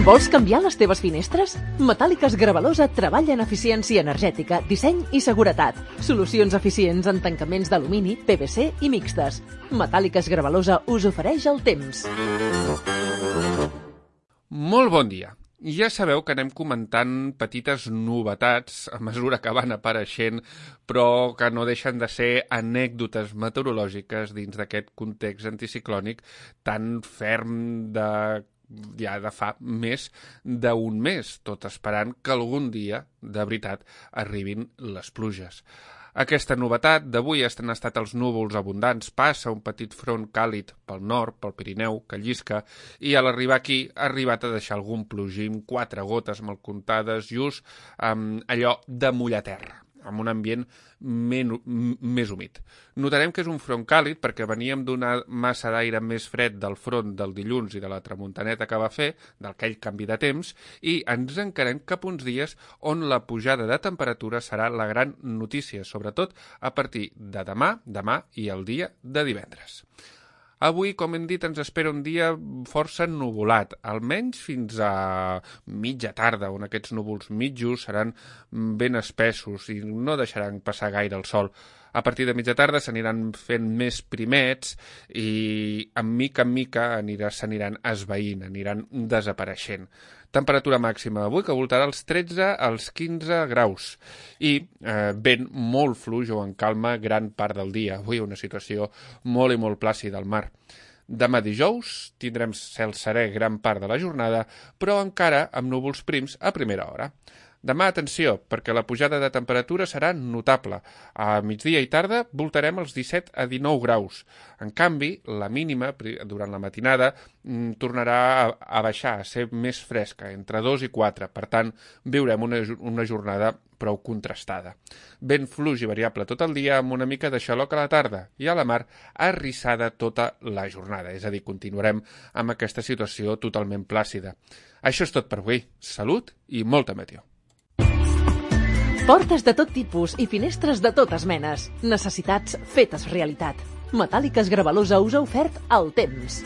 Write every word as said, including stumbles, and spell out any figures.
Vols canviar les teves finestres? Metàl·liques Gravalosa treballa en eficiència energètica, disseny i seguretat. Solucions eficients en tancaments d'alumini, P V C i mixtes. Metàl·liques Gravalosa us ofereix el temps. Molt bon dia. Ja sabeu que anem comentant petites novetats a mesura que van apareixent, però que no deixen de ser anècdotes meteorològiques dins d'aquest context anticiclònic tan ferm de... ja de fa més d'un mes, tot esperant que algun dia, de veritat, arribin les pluges. Aquesta novetat d'avui han estat els núvols abundants, passa un petit front càlid pel nord, pel Pirineu, que llisca, i a l'arribar aquí ha arribat a deixar algun plogim, quatre gotes mal comptades, just amb allò de mullar terra, amb un ambient men, més humit. Notarem que és un front càlid perquè veníem d'una massa d'aire més fred del front del dilluns i de la tramuntaneta que va fer, d'aquell canvi de temps, i ens encarem cap uns dies on la pujada de temperatura serà la gran notícia, sobretot a partir de demà, demà i el dia de divendres. Avui, com hem dit, ens espera un dia força nuvolat, almenys fins a mitja tarda, on aquests núvols mitjos seran ben espessos i no deixaran passar gaire el sol. A partir de mitja tarda s'aniran fent més primets i en mica en mica s'aniran esvaint, aniran desapareixent. Temperatura màxima avui que voltarà als tretze als quinze graus i eh, vent molt fluix o en calma gran part del dia. Avui una situació molt i molt plàcida al mar. Demà dijous tindrem cel serè gran part de la jornada, però encara amb núvols prims a primera hora. Demà, atenció, perquè la pujada de temperatura serà notable. A migdia i tarda voltarem els disset a dinou graus. En canvi, la mínima, durant la matinada, tornarà a baixar, a ser més fresca, entre dos i quatre. Per tant, viurem una, una jornada prou contrastada. Vent fluix i variable tot el dia amb una mica de xaloc a la tarda i a la mar arrissada tota la jornada. És a dir, continuarem amb aquesta situació totalment plàcida. Això és tot per avui. Salut i molta meteo. Portes de tot tipus i finestres de totes menes. Necessitats fetes realitat. Metàl·liques Gravalosa us ha ofert el temps.